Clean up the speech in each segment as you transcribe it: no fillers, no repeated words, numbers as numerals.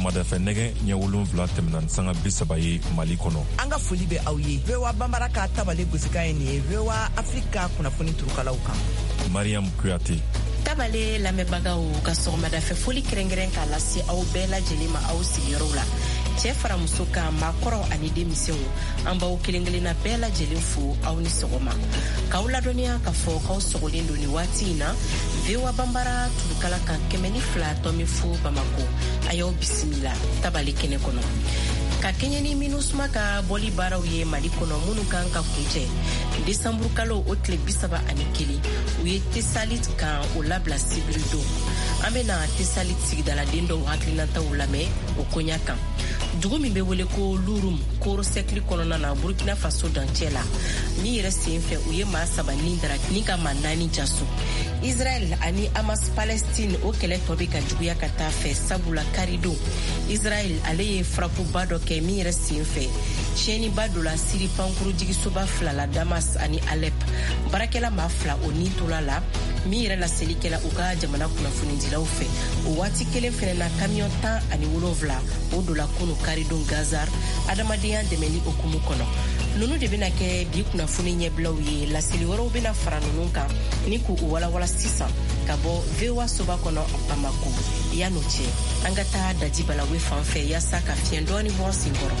Sɔgɔmadafɛ nɛgɛ ɲɛ 7 tɛmɛna ni sanga 30 ye Mali kɔnɔ. An ka foli bɛ aw ye. VOA Banbara ka tabale gosikan ye nin ye VOA Afrique ka kunnafoni turukalaw kan. Mariam Kuyate. Tabale lamɛnbagaw ka sɔgɔmadafɛ foli kɛrɛnkɛrɛn k'a lase aw bɛɛ lajɛlen ma aw sigiyɔrɔw la. Cɛ fara muso kan, maakɔrɔ ani denmisɛnw, an b'aw kelen kelenna bɛɛ lajɛlen fo, aw ni sɔgɔma. K'aw ladɔnniya k'a fɔ k'aw sɔgɔlen don nin waati in na VOA Banbara turukala kan 102.0 Bamako. A y'aw bisimila tabale kɛnɛ kɔnɔ. Ka kɛɲɛ ni MINUSMA ka bɔli baaraw ye Mali kɔnɔ minnu kan ka kuncɛ desanburu kalo o tile 31, u ye Tesalit camp o labila sibiri don. An bɛna Tesalit sigidaladen dɔw hakilinataw lamɛn o koɲa kan. Dugu min bɛ wele ko Lurum, Koro sɛkili kɔnɔna na, Burkina Faso dancɛ la, min yɛrɛ sen fɛ u ye maa 3 ni dara ni ka maa 4 jaso. Israɛl ani Hamas Palestine o kɛlɛ tɔ bɛ ka juguya ka taa fɛ, sabula karidon Israɛl ale ye farapuba dɔ kɛ min yɛrɛ sen fɛ tiɲɛniba donna Siri pankuru jigisoba 2 la, Damas ani Alep. Baarakɛla maa 2 o ni tola la, min yɛrɛ laseli kɛla u ka jamana kunnafonidilaw fɛ. O waati kelen fɛnɛ na, kamiyɔn 17 o dola kunu karidon Gaza adamadenya dɛmɛli hukumu kɔnɔ. Nunu de bɛna kɛ bi kunnafoni ɲɛbilaw ye. Laseli wɛrɛw bɛna fara nunu kan ni k'u walawala sisan ka bɔ VOA soba kɔnɔ Bamako. Yan'o cɛ, an ka taa Daji Balawe fan fɛ yaasa ka fiɲɛ dɔɔni bɔ sen kɔrɔ.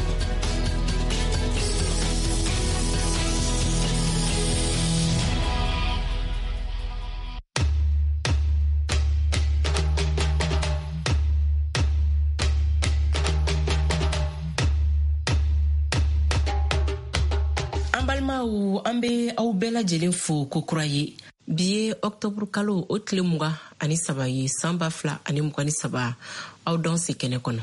An balimaw, an bɛ aw bɛɛ lajɛlen fo kokura ye. Bi ye ɔktɔburu kalo o tile 23 ye, san 2023. Aw danse kɛnɛ kɔnɔ.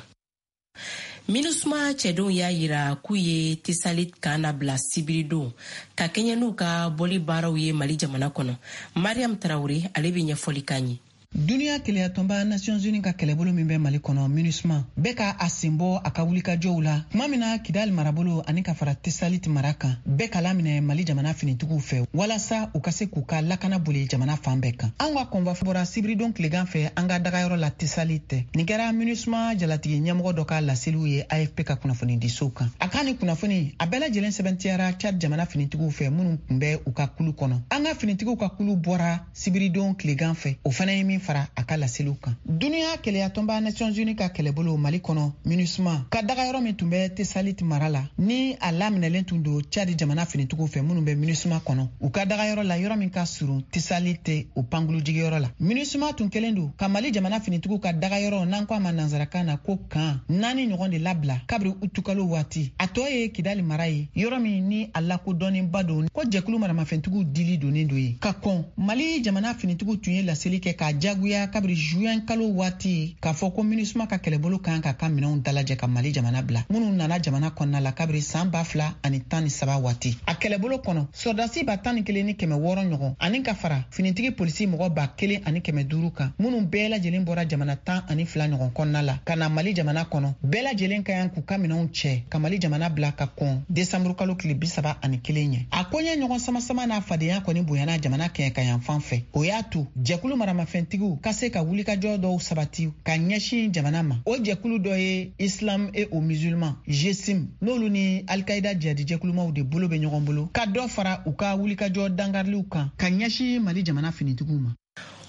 MINUSMA cɛdenw y'a yira k'u ye Tesalit camp labila sibiridon ka kɛɲɛ n'u ka bɔli baaraw ye Mali jamana kɔnɔ. Mariam Tarawele ale bɛ ɲɛfɔli k'an ye. Duniya keleyatɔnba Nations Unies ka kɛlɛbolo min bɛ Mali kɔnɔ, MINUSMA, bɛ ka a sen bɔ a ka wulikajɔw la tuma min na Kidali marabolo ani ka fara Tesalit mara kan bɛɛ ka laminɛ Mali jamana finitigiw fɛ walasa u ka se k'u ka lakana boli jamana fan bɛɛ kan. Anw ka kɔnva bɔra sibiridon tilegan fɛ an ka dagayɔrɔ la Tesalit. Nin kɛra MINUSMA jalatigi ɲɛmɔgɔ dɔ ka laseliw ye AFP ka kunnafonidisow kan. A ka nin kunnafoni a bɛɛ lajɛlen sɛbɛntiyara Chad jamana finitigiw fɛ minnu tun bɛ u ka kulu kɔnɔ. An ka finitigiw ka kulu bɔra sibiridon tilegan fɛ, o fana ye min fara a ka laseliw kan. Duniya keleyatɔnba Nations Unies ka kɛlɛbolo Mali kɔnɔ, MINUSMA, ka dagayɔrɔ min tun bɛ Tesalit mara la, ni a laminɛlen tun don Chad jamana finitigiw fɛ minnu bɛ MINUSMA kɔnɔ, u ka dagayɔrɔ la, yɔrɔ min ka surun Tesalit o pankulu jigiyɔrɔ la. MINUSMA tun kɛlen don ka Mali jamana finitigiw ka dagayɔrɔ, n'an ko a ma nansarakan na ko camp, 4 ɲɔgɔn de labila kabiri utukalo waati. A tɔ ye Kidali mara ye, yɔrɔ min ni a lakodɔnnenba don ko jɛkulu maramafɛntigiw dili donnen don ye. Ka kɔn, Mali jamana finitigiw tun ye laseli kɛ k'a jagoya kabiri juin kalo waati k'a fɔ ko MINUSMA ka kɛlɛbolo kan ka ka minɛnw dalajɛ ka Mali jamana bila, minnu nana jamana kɔnɔna la kabiri san 2013 waati. A kɛlɛbolo kɔnɔ, sɔrɔdasi 11,600 ɲɔgɔn ani ka fara finitigi polisi mɔgɔ 1,500 kan, minnu bɛɛ lajɛlen bɔra jamana 12 ɲɔgɔn kɔnɔna la ka na Mali jamana kɔnɔ, bɛɛ lajɛlen ka kan k'u ka minɛnw cɛ ka Mali jamana bila ka kɔn desanburu kalo tile 31 ɲɛ. A koɲɛ ɲɔgɔn samasama n'a fadenya kɔni bonyana jamana kɛɲɛka fan fɛ. O y'a to jɛkulu maramafɛntigiw ka se ka wulikajɔ dɔw sabati ka ɲɛsin jamana ma. O jɛkulu dɔ ye Islam et aux musulmans, GSIM, n'olu ni Al-Qaïda jihadi jɛkulumaw de bolo bɛ ɲɔgɔn bolo ka dɔ fara u ka wulikajɔ dankariliw kan ka ɲɛsin Mali jamana finitigiw ma.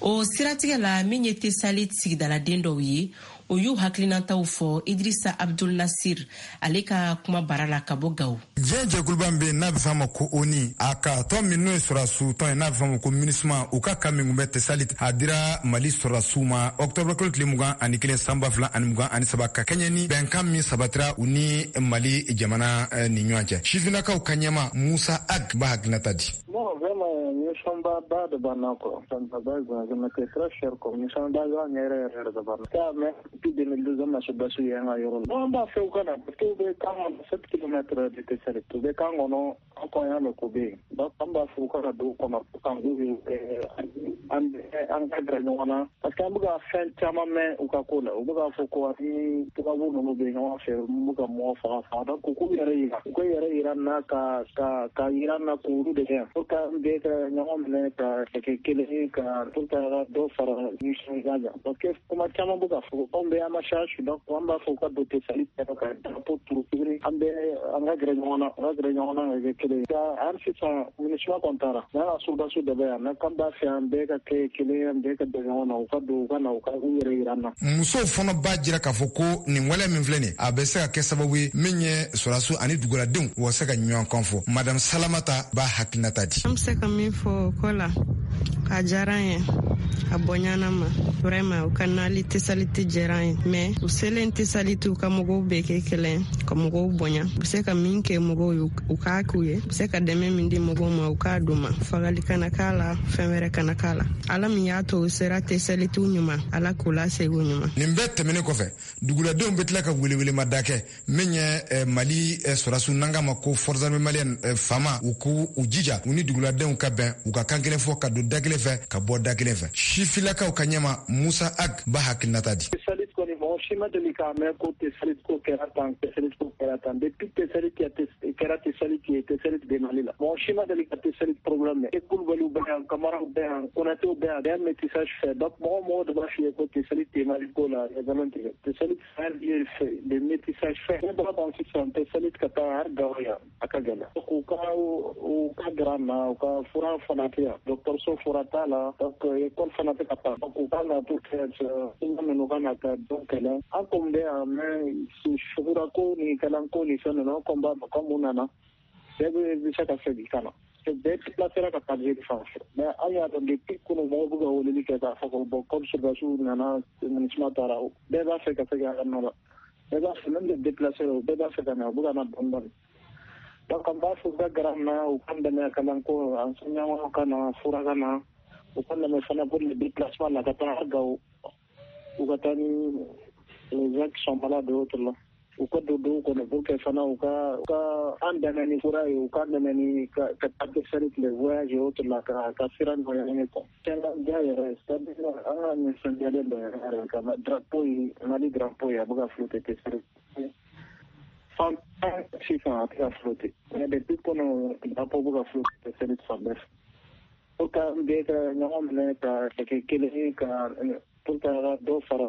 O siratigɛ la, min ye Tesalit sigidaladen dɔw ye, o y'u hakilinataw fɔ Idrissa Abdul Nasir ale ka kuma bara la ka bɔ Gawo. Diɲɛ jɛkuluba min bɛ yen n'a bɛ f'a ma ko ONU, a ka tɔn min n'o ye sɔrɔdasiw tɔn ye n'a bɛ f'a ma ko MINUSMA, u ka camp min tun bɛ Tesalit, a dira Mali sɔrɔdasiw ma ɔktɔburu kalo tile 21 san 2023, ka kɛɲɛ ni bɛnkan min sabatira u ni Mali jamana ni ɲɔgɔn cɛ. Sifinnakaw ka ɲɛma Musa Ag b'a hakilinata di. Bon, vraiment, nisɔnba de b'an na quoi. Ça me va bien, c'est très cher quoi. Nisɔnba yɛrɛ yɛrɛ de b'an na. Ça, mais depuis 2012, an ma sɔrɔdasiw ye an ka yɔrɔ la. Bon, an b'a fɛ u ka na parce que u bɛ camp kɔnɔ, 7 kilomètres de Tessalit. U bɛ camp kɔnɔ. An kɔni y'a mɛn ko bɛ yen. Donc an b'a fɔ u ka na dugu kɔnɔ an an ka gɛrɛ ɲɔgɔn na, parce que an bɛ ka fɛn caman mɛn u ka ko la. U bɛ k'a fɔ ko ani tubabu ninnu bɛ ɲɔgɔn fɛ, bɛ ka mɔgɔ faga faga. Donc u k'u yɛrɛ yira, u ka yɛrɛ yira na, ka yira na k'olu de kɛ yan, pour que an bɛɛ ka ɲɔgɔn minɛ ka kɛ kelen ye, ka pour que ka dɔ fara nisɔndiya kan, parce que kuma caman bɛ ka fɔ. Anw bɛɛ an ma charge. Donc an b'a fɔ u ka don Tessalit ka drapeau turu tuguni. An bɛɛ an ka gɛrɛ ɲɔgɔn na, an ka gɛrɛ ɲɔgɔn na ka kɛ kelen ye. Hali sisan MINUSMA kɔni taara n'a ka soldats de bɛ yan, mais k'an b'a fɛ an bɛɛ ka kɛ kelen ye, an bɛɛ ka bɛn ɲɔgɔn na. U ka don, u ka na, u ka u yɛrɛ yira an na. Musow fana b'a jira k'a fɔ ko nin waleya min filɛ nin, a bɛ se ka kɛ sababu ye min ye sɔrɔdasiw ani duguladenw u ka se ka ɲɔgɔn kan fɔ. Madame Salamata b'a hakilinata di. An bɛ se ka min fɔ o ko la, a diyara an ye, a bonyana ma vraiment. U ka nali Tesaliti diyara an ye, mais u selen Tesaliti, u ka mɔgɔw bɛɛ kɛ kelen, ka mɔgɔw bonya. U bɛ se ka min kɛ mɔgɔw ye, u k'a k'u ye. U bɛ se ka dɛmɛ min di mɔgɔw ma, u k'a d'u ma. Fagali kana k'a la, fɛn wɛrɛ kana k'a la. Ala min y'a to u sera Tesaliti ɲuman, Ala k'u lasegin ɲuman. Nin bɛɛ tɛmɛnen kɔfɛ, duguladenw bɛ tila ka welewelemada kɛ min ye Mali sɔrɔdasiw, n'an k'a ma ko Forces armées maliennes, FAMa, u k'u u jija u ni duguladenw ka bɛn, u ka kan kelen fɔ, ka don da kelen fɛ, ka bɔ da kelen fɛ. Sifilakaw ka ɲɛma Musa Ag b'a hakilinata di. Tesalit kɔni, mɔgɔ si ma deli k'a mɛn ko Tesalit ko kɛra tan, Tesalit ko kɛra tan. Depuis Tesalit kɛra Tesalit ye, Tesalit bɛ Mali la, mɔgɔ si ma deli ka Tesalit problème mɛn. E Kulubaliw bɛ yan, Kamaraw bɛ yan, Konatew bɛ yan, bɛɛ métissage fɛ. Donc mɔgɔ de b'a f'i ye ko Tesalit tɛ Mali ko la, nkalon tigɛ. Tesalit c'est le métissage fait. Ne bɔra tan sisan, Tesalit ka taa hali Gawo yan, a ka gɛlɛn. U ka gɛrɛ an na, u ka fura fana tɛ yan, dɔgɔtɔrɔso fura t'a la. Donc école fana tɛ ka taa. Donc u ka na pour que minnu ka na ka dɔn kɛlɛ. An kɔni bɛ yan, mais sugura ko ni kalanko ni fɛn ninnu, an kɔni b'a dɔn comme u nana, bɛɛ bɛ se ka segin ka na, bɛɛ déplacera ka taa Algérie fan fɛ. Mais an y'a dɔn depuis kunun, mɔgɔw bɛ ka weleli kɛ k'a fɔ ko bon, comme soldats nana, MINUSMA taara, bɛɛ b'a fɛ ka segin a ka nɔ la. Bɛɛ b'a fɛ, même les déplacés, bɛɛ b'a fɛ ka na, u bɛ ka na dɔɔni dɔɔni. Donc an b'a fɔ u ka gɛrɛ an na, u k'an dɛmɛ kalanko, enseignant ka na, fura ka na, u ka dɛmɛ fana pour le déplacement la ka taa Gawo, u ka taa ni les gens qui sont malades et autres là, u ka don dugu kɔnɔ pour que fana u ka an dɛmɛ ni fura ye, u ka dɛmɛ ni ka taa Tesalit, les voyages et autres là, ka sira nɔgɔya an ye quoi. Diya yɛrɛ, c'est à dire an ka nisɔndiyalen don yɛrɛ yɛrɛ ka drapeau ye, Mali drapeau ye, a bɛ ka flotter Tesalit fan tan sisan, a tɛ ka flotter, mais depuis kɔnɔ drapeau bɛ ka flotter Tesalit fan bɛɛ fɛ, pour que an bɛɛ ka ɲɔgɔn minɛ ka kɛ kelen ye, ka pour que dɔ fara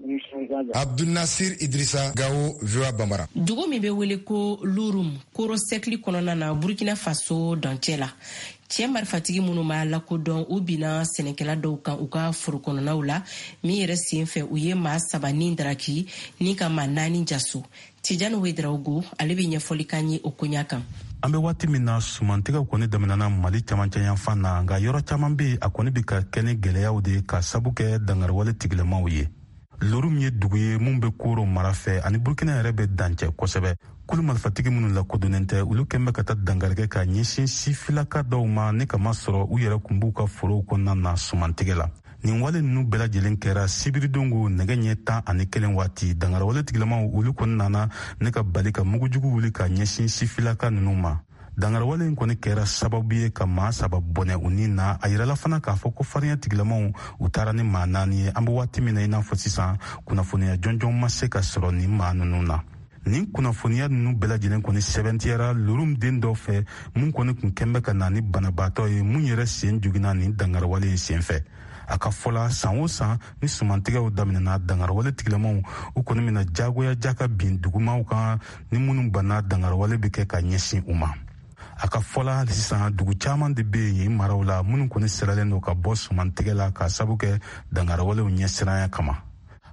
nisɔndiya kan. Abdul Nasir Idrissa, Gao, VOA Bambara. Dugu min bɛ wele ko Lurum, Koro sɛkili kɔnɔna na, Burkina Faso dancɛ la, cɛɛ marifatigi minnu b'a lakodɔn, u binna sɛnɛkɛla dɔw kan u ka foro kɔnɔnaw la. Min yɛrɛ sen fɛ, u ye maa saba ni daraki ni ka maa naani jaso. Tijani Wedraogo, ale bɛ ɲɛfɔli kan ye o koɲa kan. An bɛ waati min na, sumantigɛw kɔni daminɛna Mali camancɛ yanfan na, nka yɔrɔ caman be a kɔni be ka kɛ ni gwɛlɛyaw de ka sabu kɛ dangariwale tigilamaw ye. Lorum ye dugu ye mun be Koro mara fɛ, ani Burkina yɛrɛ bɛ dancɛ kosɛbɛ. Kulu marifatigi minnu lakodonnen tɛ, olu kɛn bɛ ka taa dangarikɛ ka ɲɛsin sifilaka dɔw ma, ni kama sɔrɔ u yɛrɛ kun b'u ka forow kɔnɔna na sumantigɛ la. Nin wale nunu bɛɛ lajɛlen kɛra sibiridongo nɛgɛ ɲɛ 11 waati. Dangarawale tigilamaw, olu kɔni nana ne ka bali ka mugujugu wuli ka ɲɛsin sifilaka nunu ma. Dangarawale in kɔni kɛra sababu ye ka maa saba bɔnɛ u ni na. A yirala fana k'a fɔ ko farinya tigilamaw, u taara ni maa naani ye. An be waati min na i n'a fɔ sisan, kunnafoniya jɔnjɔn ma se ka sɔrɔ nin maa nunu na. Nin kunnafoniya nunu bɛɛ lajɛlen kɔni sɛbɛntiyara Lorum den dɔ fɛ, mun kɔni kun kɛn bɛ ka na ni banabaatɔ ye, mun yɛrɛ sen joginna nin dangarawale in sen fɛ. A ka fɔla, san o san ni sumantigɛw daminɛna, dangarawale tigilamaw, u kɔni bɛna jagoya ja ka bin dugumaw kan, ni minnu banna, dangarawale bɛ kɛ ka ɲɛsin u ma. A ka fɔla, hali sisan dugu caman de bɛ yen maraw la minnu kɔni siralen don ka bɔ sumantigɛ la k'a sabu kɛ dangarawalew ɲɛsiranya kama.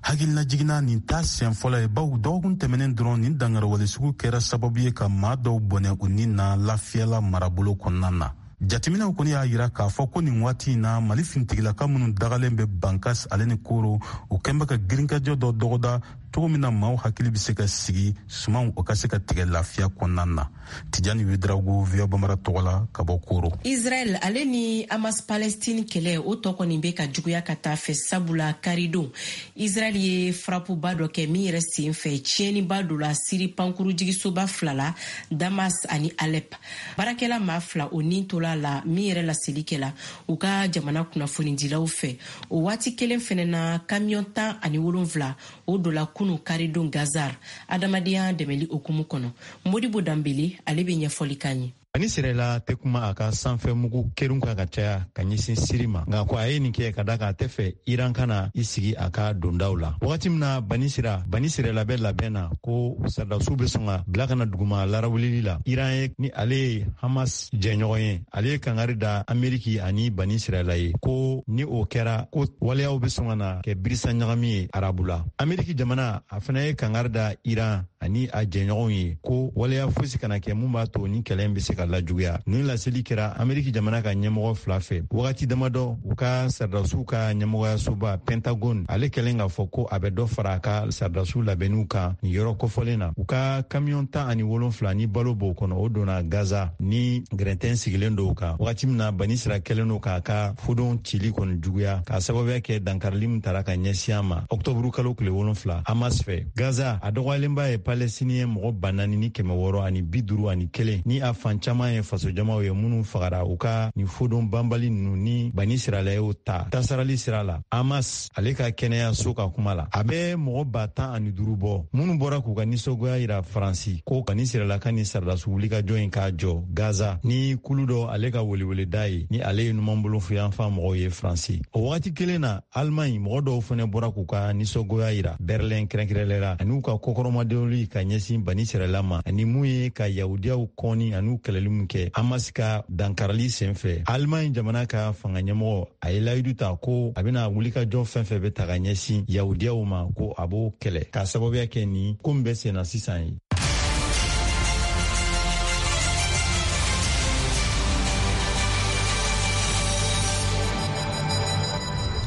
Hakilinajiginna, nin ta siɲɛ fɔlɔ ye, bawo dɔgɔkun tɛmɛnen dɔrɔn, nin dangarawale sugu kɛra sababu ye ka maa dɔw bɔnɛ u ni na Lafiyala marabolo kɔnɔna na. Jateminɛw kɔni y'a yira k'a fɔ ko nin waati in na Mali finitigilaka minnu dagalen bɛ Bankas ale ni Koro, u kɛn bɛ ka girinkajɔ dɔ dɔgɔda cogo min na maaw hakili bɛ se ka sigi, sumanw o ka se ka tigɛ lafiya kɔnɔna na. Tijani Ouédraogo, VOA Bambara tɔgɔ la ka bɔ Koro. Israel ale ni Hamas Palestine kɛlɛ, o tɔ kɔni bɛ ka juguya ka taa fɛ, sabula karidon Israel ye frapuba dɔ kɛ min yɛrɛ sen fɛ tiɲɛniba dɔ la Siri pankurujigisoba fila la, Damas ani Alep. Baarakɛla maa 2 o nin tola la min yɛrɛ laseli kɛla u ka jamana kunnafonidilaw fɛ. O waati kelen fɛnɛ na, kamiyɔn 17 o dola kunu karidon Gaza adamadenya dɛmɛli hukumu kɔnɔ. Modibo Danbele ale bɛ ɲɛfɔli k'an ye. Bani Sirɛla tɛ kuma a ka sanfɛ mugu kerun kan ka caya ka ɲɛsin Siri ma, nka ko a ye nin kɛ ka da kan a tɛ fɛ Iran kana i sigi a ka dondaw la. Wagati min na Bani Sirɛla bɛ labɛn na ko sɔrɔdasiw bɛ sɔn ka bila ka na duguma larawulili la, Iran ye ni ale ye Hamas jɛɲɔgɔn ye, ale ye kangari da Ameriki ani Bani Sirɛla ye ko ni o kɛra ko waleyaw bɛ sɔn ka na kɛ birisa ɲagami ye Arabu la. Ameriki jamana a fana ye kangari da Iran ani a jɛɲɔgɔnw ye ko waleya fosi kana kɛ mun b'a to ni kɛlɛ bɛ se ka lajuguya. Nin laseli kɛra Ameriki jamana ka ɲɛmɔgɔ 2 fɛ wagati damadɔ u ka sɔrɔdasiw ka ɲɛmɔgɔyasoba Pentagone ale kɛlen k'a fɔ ko a bɛ dɔ fara a ka sɔrɔdasiw labɛnniw kan nin yɔrɔ kofɔlen na. U ka kamiyɔn 17 ni balo b'o kɔnɔ, o donna Gaza ni gɛrɛntɛn sigilen dɔw kan wagati min na Bani Sira kɛlen don k'a ka fodon cili kɔni juguya k'a sababuya kɛ dankarili min tara ka ɲɛsin a ma ɔktɔburu kalo tile 7 Hamas fɛ. Gaza a dɔgɔyalenba ye Palestinien mɔgɔ 4651 ni a fan caman ye fasojamaw ye minnu fagara u ka nin fodon banbali ninnu ni Bani Sirala y'o ta tasarali sira la. Hamas ale ka kɛnɛyaso ka kuma la, a bɛ mɔgɔ 15,000 bɔ minnu bɔra k'u ka nisɔngoya yira Faransi ko Bani Sirala ka nin sɔrɔdasi wulikajɔ in k'a jɔ Gaza ni kulu dɔ ale ka weleweleda ye ni ale ye numanbolofuyanfan mɔgɔw ye Faransi. O wagati kelen na Allemagne mɔgɔ dɔw fana bɔra k'u ka nisɔngoya yira Berlin kɛrɛnkɛrɛnlɛ la ani u ka kɔkɔrɔmadonli ka ɲɛsin Bani Sirala ma ani mun ye ka yahudiyaw kɔni ani kɛlɛli min kɛ Hamas ka dankarili senfɛ. Allemagne jamana ka fanga ɲɛmɔgɔ a ye layidu ta ko a bɛna wulikajɔ fɛn fɛn bɛ ta ka ɲɛsin yahudiyaw ma ko a b'o kɛlɛ k'a sababuya kɛ nin ko min bɛ senna sisan ye.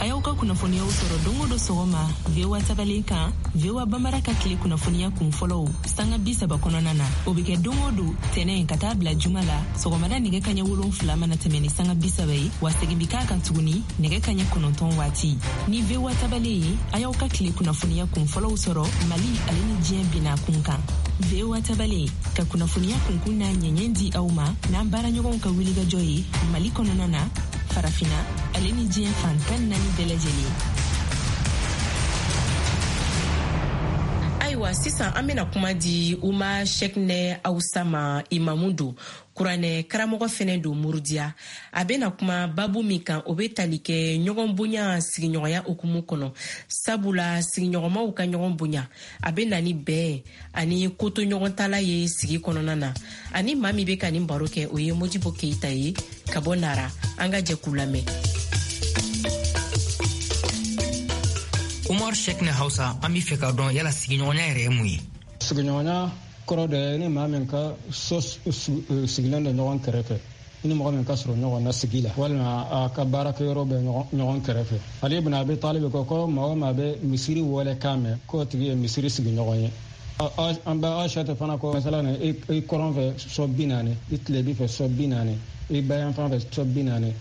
A y'aw ka kunnafoniyaw sɔrɔ don o don sɔgɔma VOA tabalen kan, VOA Bambara ka tile kunnafoniya kun fɔlɔw sanga 30 kɔnɔna na. O bɛ kɛ don o don tɛnɛn ka taa bila juma la sɔgɔmada nɛgɛ kaɲɛ 7 mana tɛmɛ ni sanga 30 ye, wa segin bi k'a kan tuguni nɛgɛ kaɲɛ 9 waati. Ni VOA tabalen ye, a y'aw ka tile kunnafoniya kun fɔlɔw sɔrɔ Mali ale ni diɲɛ bina kun kan. VOA tabalen ka kunnafoniya kunkun n'a ɲɛɲɛ di aw ma n'an baaraɲɔgɔnw ka wulikajɔ ye Mali kɔnɔna na, Farafina ale ni diɲɛ fan 14 bɛɛ lajɛlen. Ayiwa, sisan an bɛna kuma di Umar Cheickna Hausa ma, imamu don, kuranɛ karamɔgɔ fɛnɛ don Murudiya. A bɛna kuma babu min kan, o bɛ tali kɛ ɲɔgɔn bonya sigiɲɔgɔnya hukumu kɔnɔ, sabula sigiɲɔgɔnmaw ka ɲɔgɔn bonya a bɛ na ni bɛn ani kotoɲɔgɔntala ye sigi kɔnɔna na. Ani maa min bɛ ka nin baro kɛ, o ye Modibo Keyita ye ka bɔ Nara. An ka jɛ k'u lamɛn. Umar Cheickna Hausa, an b'i fɛ k'a dɔn yala sigiɲɔgɔnya yɛrɛ ye mun ye? Sigiɲɔgɔnya kɔrɔ de ye ni maa min ka so sigilen don ɲɔgɔn kɛrɛfɛ, i ni mɔgɔ min ka sɔrɔ ɲɔgɔn na sigi la walima a ka baarakɛyɔrɔ bɛ ɲɔgɔn kɛrɛfɛ. Ali ibn Abi Talib ko ko maa o maa bɛ misiri wale kan mɛn, k'o tigi ye misiri sigiɲɔgɔn ye. An bɛ Aisha fana ko masala na, i kɔrɔn fɛ sɔ 40, i tilebi fɛ sɔ 40, i bayanfan fɛ sɔ 40,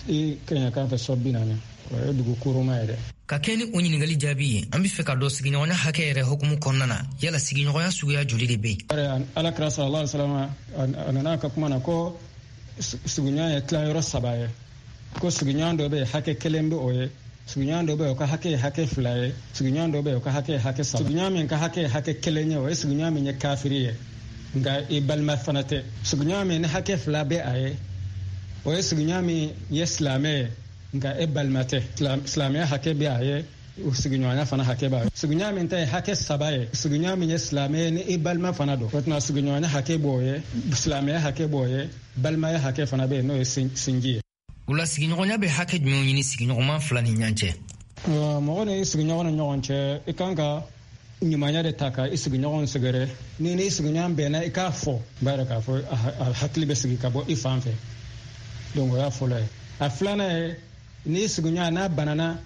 i kɛɲɛkan fɛ sɔ 40. O ye dugu kuruma ye dɛ. Ka kɛ ni o ɲininkali jaabi ye, an bɛ fɛ ka dɔn sigiɲɔgɔnya hakɛ yɛrɛ hukumu kɔnɔna na, yala sigiɲɔgɔnya suguya joli de bɛ yen? Ala kira sallallahu alaihi wasallam a nana ka kuma na ko sigiɲɔgɔnya ye tilayɔrɔ 3 ye. Ko sigiɲɔgɔn dɔ bɛ yen hakɛ kelen bɛ o ye, sigiɲɔgɔn dɔ bɛ yen o ka hakɛ ye hakɛ 2 ye, sigiɲɔgɔn dɔ bɛ yen o ka hakɛ ye hakɛ 3. Sigiɲɔgɔn min ka hakɛ ye hakɛ kelen ye, o ye sigiɲɔgɔn min ye kafiri ye, nka i balima fana tɛ. Sigiɲɔgɔn min ni hakɛ 2 bɛ a ye, o ye sigiɲɔgɔn min ye silamɛ ye, nka e balima tɛ. Silamɛya hakɛ bɛ a ye, sigiɲɔgɔnya fana hakɛ b'a ye. Sigiɲɔgɔn min ta ye hakɛ 3 ye, sigiɲɔgɔn min ye silamɛ ye ni i balima fana don, o tuma sigiɲɔgɔnya hakɛ b'o ye, silamɛya hakɛ b'o ye, balimaya hakɛ fana bɛ yen, n'o ye sinji ye. O la sigiɲɔgɔnya bɛ hakɛ jumɛnw ɲini sigiɲɔgɔnman 2 ni ɲɔgɔn cɛ? Mɔgɔ ni sigiɲɔgɔn ni ɲɔgɔn cɛ, i kan ka ɲumanya de ta ka i sigiɲɔgɔn sɛgɛrɛ. Ni n'i sigiɲɔgɔn bɛnna, i k'a fɔ, n b'a yɛrɛ k'a fɔ a hakili bɛ sigi ka bɔ i fan fɛ. Donc o y'a fɔlɔ ye. A filanan ye, n'i sigiɲɔgɔn n'a banana,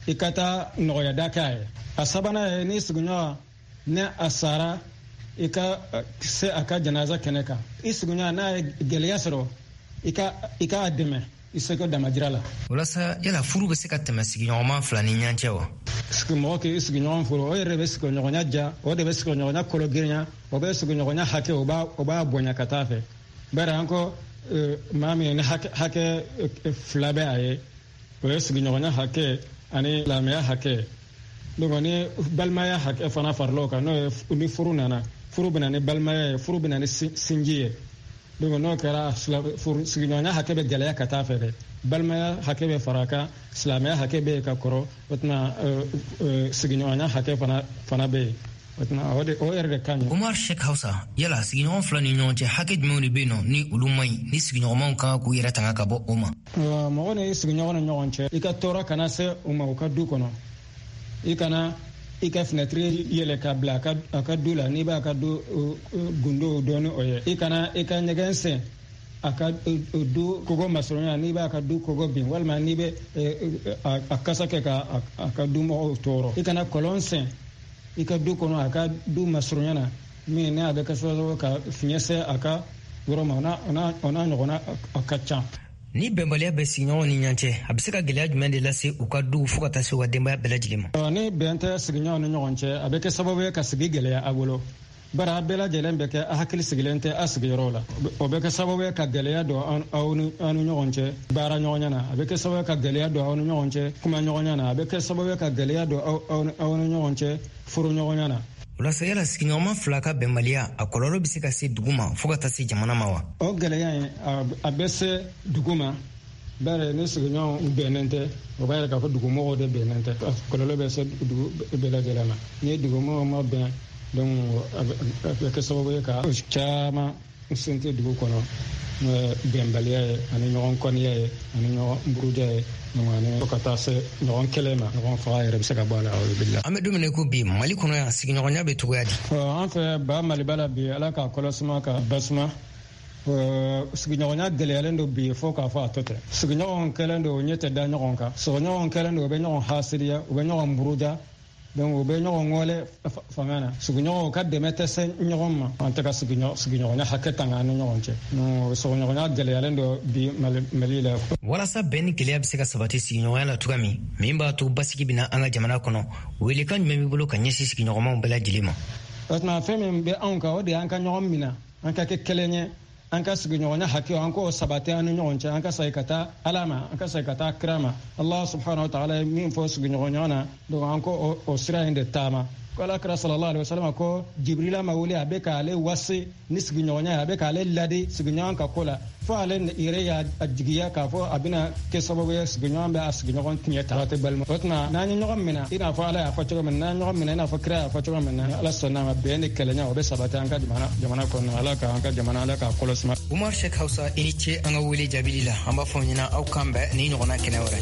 i ka taa nɔgɔyada kɛ a ye. A sabanan ye, n'i sigiɲɔgɔn ni a sara, i ka se a ka janaza kɛnɛ kan. I sigiɲɔgɔn n'a ye gɛlɛya sɔrɔ, i k'a dɛmɛ i seko damajira la. Walasa yala furu bɛ se ka tɛmɛ sigiɲɔgɔnma fila ni ɲɔgɔn cɛ wa? Mɔgɔ k'i sigiɲɔgɔn furu, o yɛrɛ bɛ sigiɲɔgɔnya diya, o de bɛ sigiɲɔgɔnya kolo girinya, o bɛ sigiɲɔgɔnya hakɛ, o b'a bonya ka taa fɛ. Bari an ko maa min ni hakɛ fila bɛ a ye, o ye sigiɲɔgɔnya hakɛ ani silamɛya hakɛ. Donc ni balimaya hakɛ fana farala o kan, n'o ye ni furu nana, furu bɛ na ni balimaya ye, furu bɛ na ni sinji ye. Donc n'o kɛra, sigiɲɔgɔnya hakɛ bɛ gɛlɛya ka taa fɛ dɛ. Balimaya hakɛ bɛ fara a kan, silamɛya hakɛ bɛ yen ka kɔrɔ, o tuma sigiɲɔgɔnya hakɛ fana bɛ yen. O tuma o yɛrɛ de ka ɲi. Umar Sheikh Hausa, yala sigiɲɔgɔn fila ni ɲɔgɔn cɛ hakɛ jumɛnw de bɛ yen nɔ ni olu man ɲi, ni sigiɲɔgɔnmaw kan k'u yɛrɛ tanga ka bɔ o ma? Mɔgɔ ni sigiɲɔgɔn ni ɲɔgɔn cɛ, i ka tɔɔrɔ kana se u ma u ka du kɔnɔ. I kana i ka finɛtiri yɛlɛ ka bila a ka du la, n'i b'a ka du gundow dɔn ni o ye. I kana i ka ɲɛgɛn sen a ka du kogo masurunya, n'i b'a ka du kogo bin, walima n'i bɛ a kasa kɛ ka a ka du mɔgɔw tɔɔrɔ. I kana kɔlɔn sen i ka du kɔnɔ a ka du masurunya na, min n'a bɛ kɛ sababu ka fiɲɛ se a ka yɔrɔ ma, o n'a ɲɔgɔnna a ka ca. Ni bɛnbaliya bɛ sigiɲɔgɔnw ni ɲɔgɔn cɛ, a bɛ se ka gɛlɛya jumɛn de lase u ka duw fo ka taa se u ka denbaya bɛɛ lajɛlen ma? Ni bɛn tɛ sigiɲɔgɔnw ni ɲɔgɔn cɛ, a bɛ kɛ sababu ye ka sigi gɛlɛya a bolo. Bari a bɛɛ lajɛlen bɛ kɛ a hakili sigilen tɛ a sigiyɔrɔ la. O bɛ kɛ sababu ye ka gɛlɛya don aw ni ɲɔgɔn cɛ baara ɲɔgɔnya na, a bɛ kɛ sababu ye ka gɛlɛya don aw ni ɲɔgɔn cɛ kuma ɲɔgɔnya na, a bɛ kɛ sababu ye ka gɛlɛya don aw ni ɲɔgɔn cɛ furu ɲɔgɔnya na. Walasa yala sigiɲɔgɔnma fila ka bɛnbaliya, a kɔlɔlɔ bɛ se ka se dugu ma fo ka taa se jamana ma wa? O gɛlɛya in a bɛ se dugu ma, bari ni sigiɲɔgɔnw bɛnnen tɛ, o b'a yira k'a fɔ dugumɔgɔw de bɛnnen tɛ. Kɔlɔlɔ bɛ se dugu bɛɛ lajɛlen ma. Ni dugumɔgɔw ma bɛn, donc a bɛ kɛ sababu ye ka caman sinti dugu kɔnɔ, n'o ye bɛnbaliya ye, ani ɲɔgɔn kɔniya ye, ani ɲɔgɔn buruja ye, ani fo ka taa se ɲɔgɔn kɛlɛ ma, ɲɔgɔn faga yɛrɛ bɛ se ka bɔ a la. An bɛ don min na ko bi, Mali kɔnɔ yan, sigiɲɔgɔnya bɛ cogoya di? An fɛ ba Maliba la bi, Ala k'a kɔlɔsima ka basuma. Sigiɲɔgɔnya gɛlɛyalen don bi fo k'a fɔ a tɔ tɛ. Sigiɲɔgɔn kɛlen don, u ɲɛ tɛ da ɲɔgɔn kan. Sigiɲɔgɔn kɛlen don, u bɛ ɲɔgɔn hasiriya, u bɛ ɲɔgɔn buruja. Donc u bɛ ɲɔgɔn wale fanga na. Sigiɲɔgɔnw ka dɛmɛ tɛ se ɲɔgɔn ma. An tɛ ka sigiɲɔgɔnya hakɛ tanga an ni ɲɔgɔn cɛ. Sigiɲɔgɔnya gɛlɛyalen don bi Mali la. Walasa bɛn ni gɛlɛya bɛ se ka sabati sigiɲɔgɔnya la cogoya min b'a to basigi bɛ na an ka jamana kɔnɔ, welekan jumɛn b'i bolo ka ɲɛsin sigiɲɔgɔnmaw bɛɛ lajɛlen ma? O tuma fɛn min bɛ anw kan, o de y'an ka ɲɔgɔn minɛ, an ka kɛ kelen ye, an ka sigiɲɔgɔnya hakɛ, an k'o sabati an ni ɲɔgɔn cɛ, an ka segin ka taa Ala ma, an ka segin ka taa kira ma. Allah subhanahu wa ta'ala ye min fɔ sigiɲɔgɔnya na, donc an ko o sira in de taama. Ko Ala kira sallallahu alaihi wasallam ko Jibrila ma wuli, a bɛ k'ale wasi ni sigiɲɔgɔnya ye, a bɛ k'ale ladi sigiɲɔgɔn ka ko la, fo ale yɛrɛ y'a jigiya k'a fɔ a bɛna kɛ sababu ye sigiɲɔgɔn bɛ a sigiɲɔgɔn tiɲɛ ta. Tɛ balima. O tuma n'an ye ɲɔgɔn minɛ i n'a fɔ Ala y'a fɔ cogo min na, n'an ye ɲɔgɔn minɛ i n'a fɔ kira y'a fɔ cogo min na, Ala sɔnna ma, bɛn ni kelenya o bɛ sabati an ka jamana kɔnɔ. Ala k'an ka jamana, Ala k'a kɔlɔsi. Umar Sheikh Hausa, i ni ce an ka wele jaabili la. An b'a fɔ ɲɛna aw kan bɛn ni ɲɔgɔnna kɛnɛ wɛrɛ.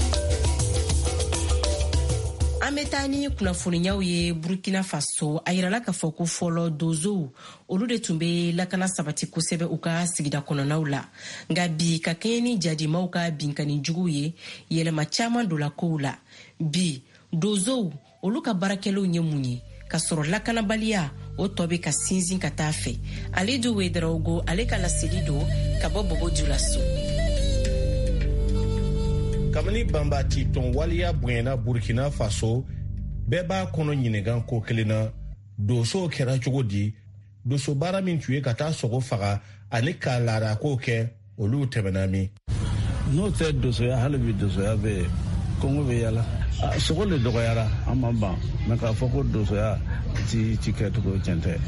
An bɛ taa ni kunnafoniyaw ye Burkina Faso. A yirala k'a fɔ ko fɔlɔ donsow olu de tun bɛ lakana sabati kosɛbɛ u ka sigida kɔnɔnaw la, nka bi ka kɛɲɛ ni jadimaw ka binkanni juguw ye, yɛlɛma caman donna kow la. Bi donsow olu ka baarakɛlenw ye mun ye ka sɔrɔ lakanabaliya o tɔ bɛ ka sinsin ka taa fɛ? Alidu Wedarawogo ale ka laseli don ka bɔ Bobo Julaso. Kabini banbati tɔn waleya bonyana Burkina Faso, bɛɛ b'a kɔnɔ ɲininka ko kelen na, donsow kɛra cogo di? Donso baara min tun ye ka taa sogo faga ani ka laadako kɛ, olu tɛmɛna min? N'o tɛ donsoya, hali bi donsoya bɛ yen, kɔngɔ bɛ yala. Sogo le dɔgɔyara, an ma ban, mɛ k'a fɔ ko donsoya ti kɛcogo tiɲɛ tɛ.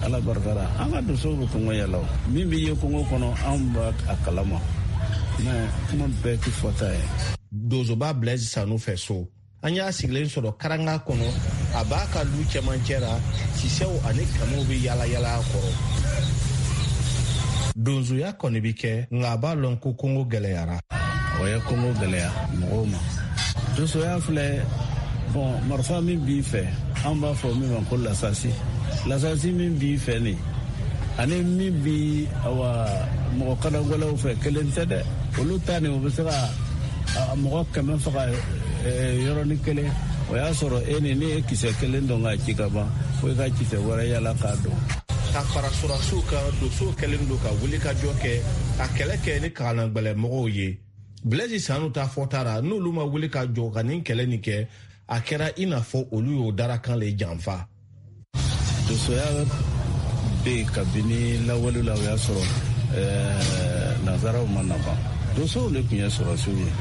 Ala barika la, an ka donsow bɛ kɔngɔ yala o. Min bɛ ye kɔngɔ kɔnɔ, anw b'a a kalama, mɛ kuma bɛɛ ti fɔta ye. Donsoba Blaise Sanu fɛ so, an y'a sigilen sɔrɔ karanga kɔnɔ, a b'a ka lu cɛmancɛ la, sisɛw ani kamiw bɛ yala yala a kɔrɔ. Donsoya kɔni bi kɛ, nka a b'a lɔn ko kɔngɔ gɛlɛyara. O ye kɔngɔ gɛlɛya mɔgɔw ma. Donsoya filɛ, bɔn marifa min b'i fɛ, an b'a fɔ min ma ko lasasi. Lasasi min b'i fɛ nin, ani min bi awa mɔgɔ kadagwɛlɛw fɛ, kelen tɛ dɛ. Olu ta nin, u bɛ se ka mɔgɔ 100 faga yɔrɔnin kelen. O y'a sɔrɔ e ni ne ye kisɛ kelen dɔn k'a ci ka ban, fo i ka kisɛ wɛrɛ yala k'a dɔn. Ka fara sɔrɔdasiw kan, dosow kɛlen don ka wulikajɔ kɛ ka kɛlɛ kɛ ni kalanagɛlɛmɔgɔw ye. Blaise Sanu ta fɔta ra, n'olu ma wuli ka jɔ ka nin kɛlɛ nin kɛ, a kɛra i n'a fɔ olu y'o darakan le janfa. Dosoya bɛ yen kabini lawale la. O y'a sɔrɔ nansaraw ma na ban. Dosow de tun ye sɔrɔdasiw ye.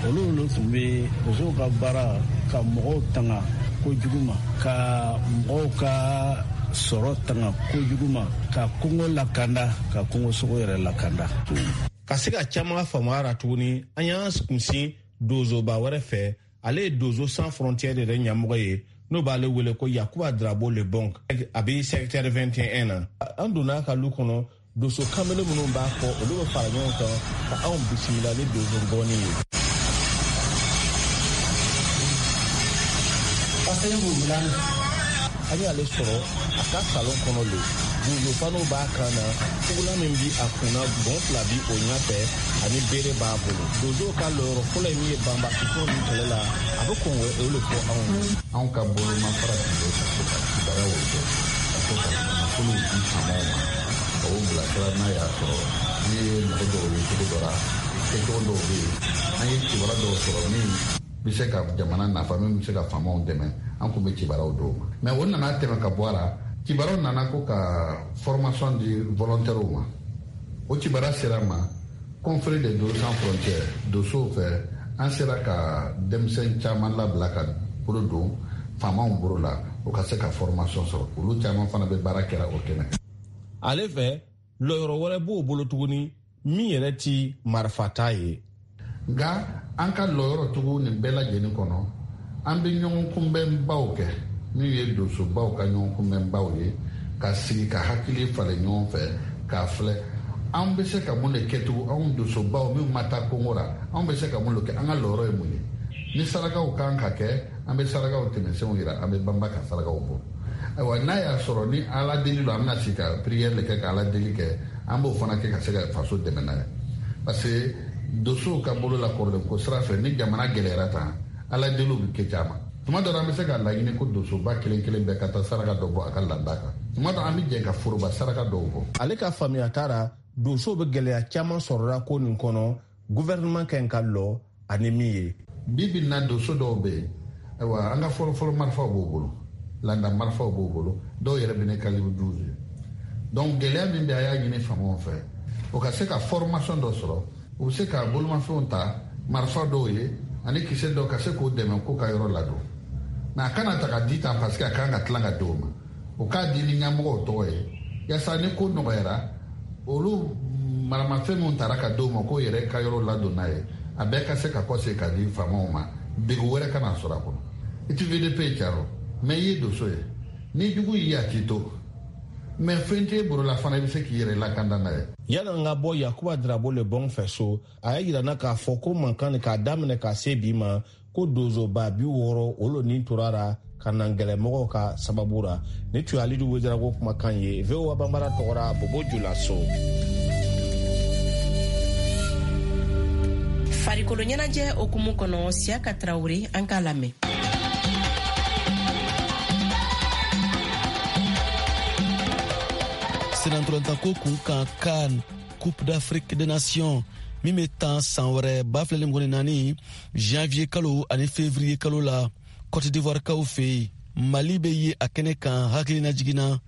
Olu de tun bɛ dosow ka baara ka mɔgɔw tanga kojugu ma, ka mɔgɔw ka sɔrɔ tanga kojugu ma, ka kungo lakanda, ka kungo sogo yɛrɛ lakanda. Ka se ka caman faamuya ra tuguni, an y'an kunsin dozoba wɛrɛ fɛ. Ale ye Dozo Sans Frontière yɛrɛ ɲɛmɔgɔ ye, n'o b'ale wele ko Yakuba Drabo Le Bon. A bɛ secteur 21 na. An donna a ka lu kɔnɔ, doso kamalen minnu b'a kɔ, olu bɛ fara ɲɔgɔn kan ka anw bisimila ni dozo ngɔni ye. An y'ale sɔrɔ a ka salon kɔnɔ le. Dozo faniw b'a kan na, fugulan min bi a kun na, gɔn fila bi o ɲɛfɛ ani bere b'a bolo. Dozow ka lɔyɔrɔ fɔlɔ ye min ye banbacitɔn nin kɛlɛ la, a bɛ kɔn o le fɔ anw ye. Anw ka bolomafara tun bɛ ka to ka kibaruyaw kɛ, ka to ka nafolow di faamaw ma, ka o bilasira. N'a y'a sɔrɔ n'i ye mɔgɔ dɔw ye cogo dɔ la, kɛcogo dɔw bɛ yen, an ye kibaruya dɔw sɔrɔ min bɛ se ka jamana nafa, min bɛ se ka faamaw dɛmɛ, an tun bɛ kibaruyaw d'o ma. Mais o nana tɛmɛ ka bɔ a la, kibaruyaw nana ko ka formation di volontaires ma. O kibaruya sera ma confrérie de Dozo Sans Frontières dosow fɛ. An sera ka denmisɛn caman labila ka bolo don faamaw bolo la, o ka se ka formation sɔrɔ. Olu caman fana bɛ baara kɛra o kɛnɛ kan. Ale fɛ, lɔyɔrɔ wɛrɛ b'o bolo tuguni min yɛrɛ ti marifata ye. Nka an ka lɔyɔrɔ tugu nin bɛɛ lajɛlen kɔnɔ, an bɛ ɲɔgɔn kunbɛnbaw kɛ, min ye dosobaw ka ɲɔgɔn kunbɛnbaw ye, ka sigi ka hakili falen ɲɔgɔn fɛ k'a filɛ an bɛ se ka mun de kɛ tugun. Anw dosobaw minnu ma taa kongo la, anw bɛ se ka mun de kɛ? An ka lɔyɔrɔ ye mun ye? Ni sarakaw kan ka kɛ, an bɛ sarakaw tɛmɛsenw yira, an bɛ banba ka sarakaw bɔ. Ayiwa, n'a y'a sɔrɔ ni ala deli don, an bɛna sigi ka prière de kɛ, ka ala deli kɛ, an b'o fana kɛ ka se ka faso dɛmɛ n'a ye, parce que dosow ka bolo la kɔrɔlen ko sira fɛ, ni jamana gɛlɛyara tan, ala deliw bɛ kɛ caman. Tuma dɔ la, an bɛ se ka laɲini ko dosoba kelen kelen bɛɛ ka taa saraka dɔ bɔ a ka landa kan. Tuma dɔ, an bɛ jɛ ka foroba saraka dɔw bɔ. Ale ka faamuya taara, dosow bɛ gɛlɛya caman sɔrɔla ko nin kɔnɔ, gouvernement ka ɲi ka lɔ ani min ye. Bi bi na, doso dɔw bɛ yen, ayiwa, an ka fɔlɔfɔlɔ marifaw b'u bolo, landa marifaw b'u bolo, dɔw yɛrɛ bɛ ne calibre 12 ye. Donc gɛlɛya min bɛ, a y'a ɲini faamaw fɛ, o ka se ka formation dɔ sɔrɔ, u bɛ se ka bolomafɛnw ta, marifa dɔw ye ani kisɛ dɔw, ka se k'o dɛmɛ k'u ka yɔrɔ ladon. Mais a kana ta ka di tan, parce que a kan ka tila ka di o ma. O k'a di ni ɲɛmɔgɔw tɔgɔ ye, yaasa ni ko nɔgɔyara, olu maramafɛn minnu tara ka di o ma k'o yɛrɛ ka yɔrɔ ladon n'a ye, a bɛɛ ka se ka kɔsegin ka di faamaw ma, degun wɛrɛ kana sɔrɔ a kɔnɔ. I ti VDP caro, mais i ye doso ye. Ni jugu y'i a t'i to, mais fɛn t'e bolo la fana, i bɛ se k'i yɛrɛ lakanda n'a ye. Yanni an ka bɔ Yakuba Drabo Le Bon fɛ so, a y'a yira na k'a fɔ ko mankan k'a daminɛ ka se bi ma, ko dozoba 60 olu nin tora ra ka na gɛlɛmɔgɔw ka sababu ra. Ni tun ye Alidu Wedarago kumakan ye VOA Banbara tɔgɔra Bobo Julaso. Farikolo ɲɛnajɛ hukumu kɔnɔ, Siyaka Tarawele, an k'a lamɛn. Senatɔlɔntanko kun kan, CAN, Coupe d'Afrique des Nations, min bɛ tan san wɛrɛ 2024 janvier kalo ani février kalo la Cote d'Ivoire kaw fɛ yen, Mali bɛ ye a kɛnɛ kan. Hakilina jiginna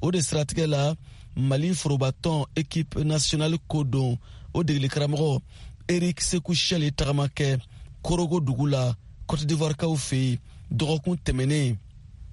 o de siratigɛ la, Mali forobatɔn équipe nationale ko don, o degeli karamɔgɔ Eric Sekou Chelle ye tagama kɛ Korogo dugu la Cote d'Ivoire kaw fɛ yen dɔgɔkun tɛmɛnen.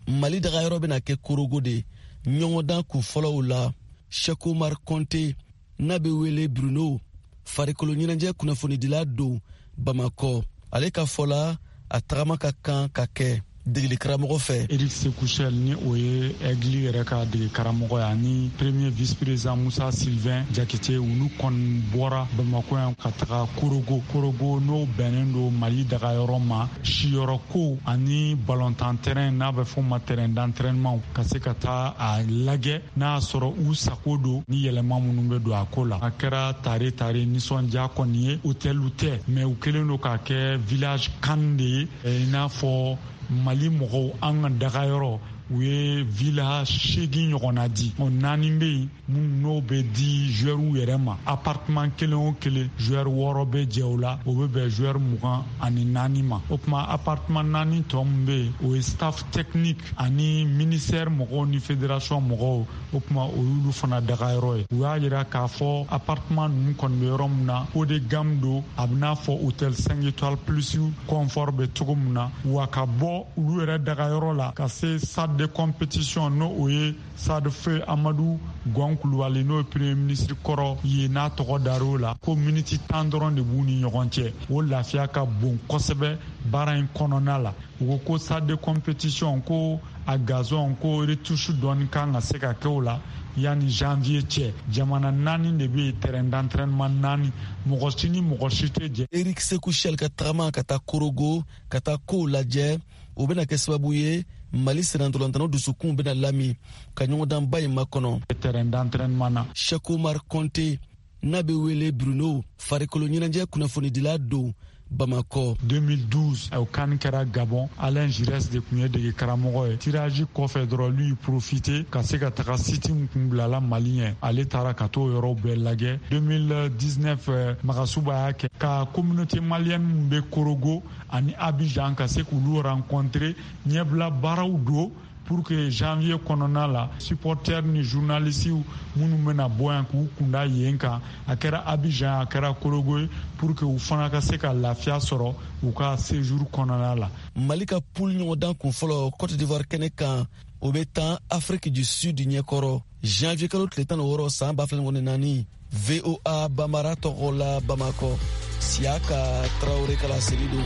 Mali dagayɔrɔ bɛna kɛ Korogo de ɲɔgɔndan kun fɔlɔw la. Cheikh Omar Konte n'a bɛ wele Bruno, farikolo ɲɛnajɛ kunnafonidila don Bamakɔ, ale ka fɔ la, a tagama ka kan ka kɛ. Degeli karamɔgɔ fɛ. Eric Sekou Chelle, ni o ye Aigle yɛrɛ ka dege karamɔgɔ ye, ani premier vice président Musa Sylvain Jakite, olu kɔni bɔra Bamakɔ yan ka taga Korogo. Korogo, n'o bɛnnen don Mali dagayɔrɔ ma, siyɔrɔ ko ani balontan terrain, n'a bɛ fɔ ma terrain d'entraînement, ka se ka taa a lajɛ n'a y'a sɔrɔ u sago don ni yɛlɛma minnu bɛ don a ko la. A kɛra tare tare nisɔndiya kɔni ye. Hôteliw tɛ, mais u kɛlen don k'a kɛ village CAN de ye, i n'a fɔ Mali mɔgɔw an ka dagayɔrɔ. U ye villa 8 ɲɔgɔnna di. Naani bɛ yen minnu n'o bɛ di joueurs yɛrɛ ma. Appartement kelen o kelen, joueur 6 bɛ jɛ o la, o bɛ bɛn joueur 24 ma. O tuma, appartement naani tɔ min bɛ yen, o ye staff technique ani ministère mɔgɔw ni fédération mɔgɔw. O tuma, o y'olu fana dagayɔrɔ ye. U y'a yira k'a fɔ appartement ninnu kɔni bɛ yɔrɔ min na, haut de gamme don, a bɛ n'a fɔ hôtel 5 étoiles plus confort bɛ cogo min na. Wa ka bɔ olu yɛrɛ dagayɔrɔ la ka se stade de compétition, n'o o ye stade feu Amadu Gɔn Kulubali, n'o ye premier ministre kɔrɔ ye, n'a tɔgɔ dar'o la, ko miniti 10 dɔrɔn de b'u ni ɲɔgɔn cɛ. O lafiya ka bon kosɛbɛ baara in kɔnɔna la. U ko ko stade de compétition, ko a gazon ko retouche dɔɔni kan ka se ka kɛ o la yanni janvier cɛ. Jamana naani de bɛ yen, terrain d'entraînement naani, mɔgɔ si ni mɔgɔ si tɛ jɛ. Eric Sekou Chelle ka tagama ka taa Korogo ka taa kow lajɛ, o bɛna kɛ sababu ye Mali sennantolatannaw dusukun bɛna lami ka ɲɔgɔndanba in makɔnɔ. Terrain d'entraînement na. Cheikh Omar Konte, n'a bɛ wele Bruno, farikolo ɲɛnajɛ kunnafonidila don Bamakɔ. 2012, o CAN kɛra Gabon. Alain Giresse de tun ye dege karamɔgɔ ye. Tirage kɔfɛ dɔrɔn, lui profité ka se ka taga site min kun bilala Mali ɲɛ, ale taara ka t'o yɔrɔw bɛɛ lajɛ. 2019, Magasuba y'a kɛ ka communauté malienne min bɛ Korogo ani Abidjan, ka se k'olu rencontrer, ɲɛbila baaraw don pour que janvier kɔnɔna la, supporters ni journalistes minnu bɛna bɔ yan k'u kunda yen kan, a kɛra Abidjan, a kɛra Korogo ye, pour que u fana ka se ka lafiya sɔrɔ u ka séjour kɔnɔna la. Mali ka poule ɲɔgɔndan kunfɔlɔ Cote d'Ivoire kɛnɛ kan, o bɛ tan Afrique du Sud ɲɛkɔrɔ janvier kalo tile 16 san 2024. VOA Bambara tɔgɔ la, Bamakɔ, Siyaka Tarawele ka laseli don.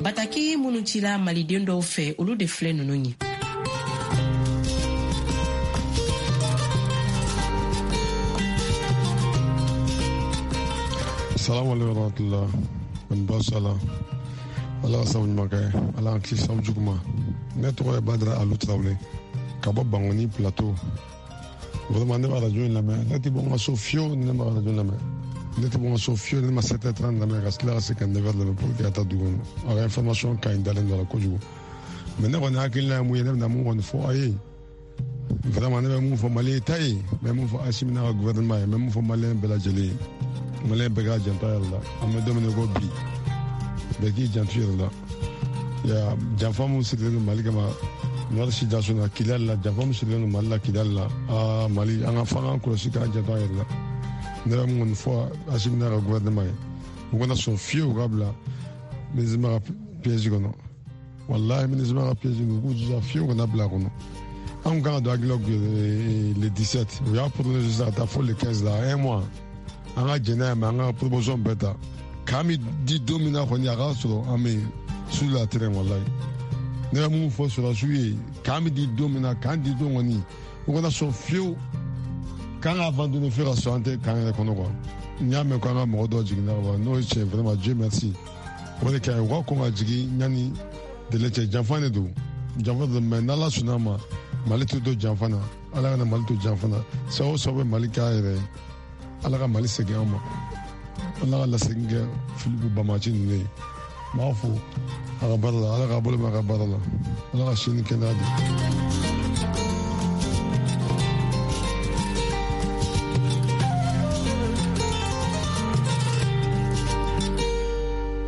Bataki minnu cila maliden dɔw fɛ, olu de filɛ ninnu ye. Salamu alaikum warahmatullah. N ba sala, Ala ka sabu ɲuman kɛ, Ala k'an kisi sabu jugu ma. Ne tɔgɔ ye Badara Alu Tarawele ka bɔ Bangoni Plateau. Vraiment, ne b'a radio in lamɛn. Ne tɛ bɔ n ka so fiyewu ni ne ma radio lamɛn. Ne tɛ bɔ n ka so fiyewu ni ne ma 7h30 lamɛn, ka tila ka se ka 9h lamɛn pour que ka taa dugu kɔnɔ. A ka information ka ɲi, dalen don a la kojugu. Mais ne kɔni hakilina ye mun ye, ne bɛna mun kɔni fɔ aw ye, vraiment, ne bɛ mun fɔ Mali ta ye, n bɛ mun fɔ Asimi n'a ka gouvernement ye, n bɛ mun fɔ Maliyɛn bɛɛ lajɛlen ye, Maliyɛn bɛɛ k'a janto a yɛrɛ la. An bɛ don min na i ko bi, bɛɛ k'i janto i yɛrɛ la. Ya janfa mun sirilen don Mali kama nord sikaso na Kidali la, janfa mun sirilen don Mali la Kidali la, aa Mali, an ka fɔ an k'an kɔlɔsi, k'an janto an yɛrɛ la. Ne bɛ mun kɔni fɔ Asimi n'a ka gouvernement ye, u kana sɔn fiyewu u ka bila MINUSMA ka piège kɔnɔ. Walahi, MINUSMA ka piège, u k'u jija fiyewu kana bila a kɔnɔ. Anw kan ka don Aguelhok le 17, u y'a prolongé sisan ka taa fo le 15 la, un mois. An ka jɛn n'a ye, mais an ka proposition bɛɛ ta k'an bɛ di don min na kɔni, a k'a sɔrɔ an bɛ sur la terrain. Walahi, ne bɛ mun fɔ sɔrɔdasiw ye, k'an bɛ di don min na, k'an di don kɔni, u kana sɔn fiyewu k'an ka abandonner fo ka sɔrɔ an tɛ k'an yɛrɛ kɔnɔ quoi. N y'a mɛn ko an ka mɔgɔ dɔw jiginna ka ban, n'o ye tiɲɛ, vraiment, Dieu merci, o de ka ɲi. U ka kɔn ka jigin yanni délai cɛ. Janfa de don, janfa de don, mais n'Ala sɔnna ma, Mali tɛ to janfa na. Ala kana Mali to janfa na. Sababu o sababu bɛ Mali k'a yɛrɛ ye, Ala ka Mali segin an ma, Ala ka lasegin kɛ Filipu bamaci ninnu ye. N b'a fo a ka baara la, Ala k'a bolo mɛn a ka baara la, Ala ka si ni kɛnɛya di.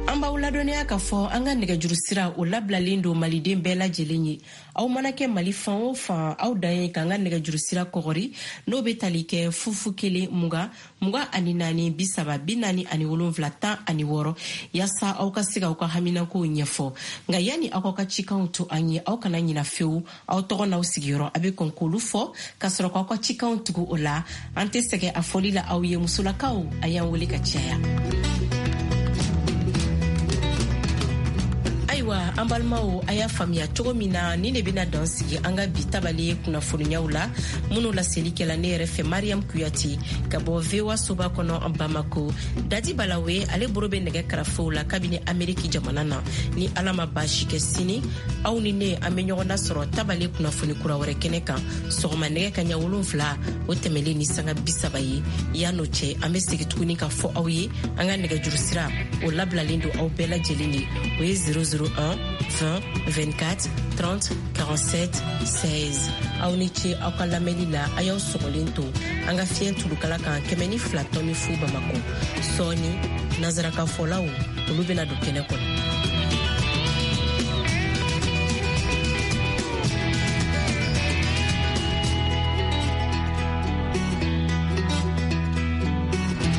An b'aw ladɔnniya k'a fɔ an ka nɛgɛjuru sira, o labilalen don Maliden bɛɛ lajɛlen ye. Aw mana kɛ Mali fan o fan, aw dan ye k'an ka nɛgɛjuru sira kɔgɔri, n'o bɛ tali kɛ 0 0 20 24 30 47 16, yaasa aw ka se k'aw ka haminakow ɲɛfɔ. Nka yanni aw ka cikanw to an ye, aw kana ɲina fewu, aw tɔgɔ n'aw sigiyɔrɔ, a bɛ kɔn k'olu fɔ ka sɔrɔ k'aw ka cikanw tugu o la. An tɛ sɛgɛn a fɔli la aw ye. Musolakaw, a y'an wele ka caya. Ayiwa, an balimaw, a y'a faamuya cogo min na, nin de bɛna dan sigi an ka bi tabale kunnafoniyaw la, minnu laseli kɛla ne yɛrɛ fɛ, Mariam Kuyate, ka bɔ VOA soba kɔnɔ Bamako. Dadi Balawe, ale boro bɛ nɛgɛ karafew la kabini Ameriki jamana na. Ni Ala ma baasi kɛ, sini aw ni ne, an bɛ ɲɔgɔn nasɔrɔ tabale kunnafoni kura wɛrɛ kɛnɛ kan, sɔgɔma nɛgɛ kaɲa 7, o tɛmɛlen ni sanga 30 ye. Yan'o cɛ, an bɛ segin tuguni ka fɔ aw ye, an ka nɛgɛjuru sira, o labilalen don aw bɛɛ lajɛlen ye, o ye 001 20 24 30 47 16. Aw ni ce aw ka lamɛnni la. A y'aw sɔgɔlen to an ka fiɲɛ tulukala kan, 102.0 Bamako. Sɔɔni, nansarakan fɔlaw, olu bɛna don kɛnɛ kɔnɔ.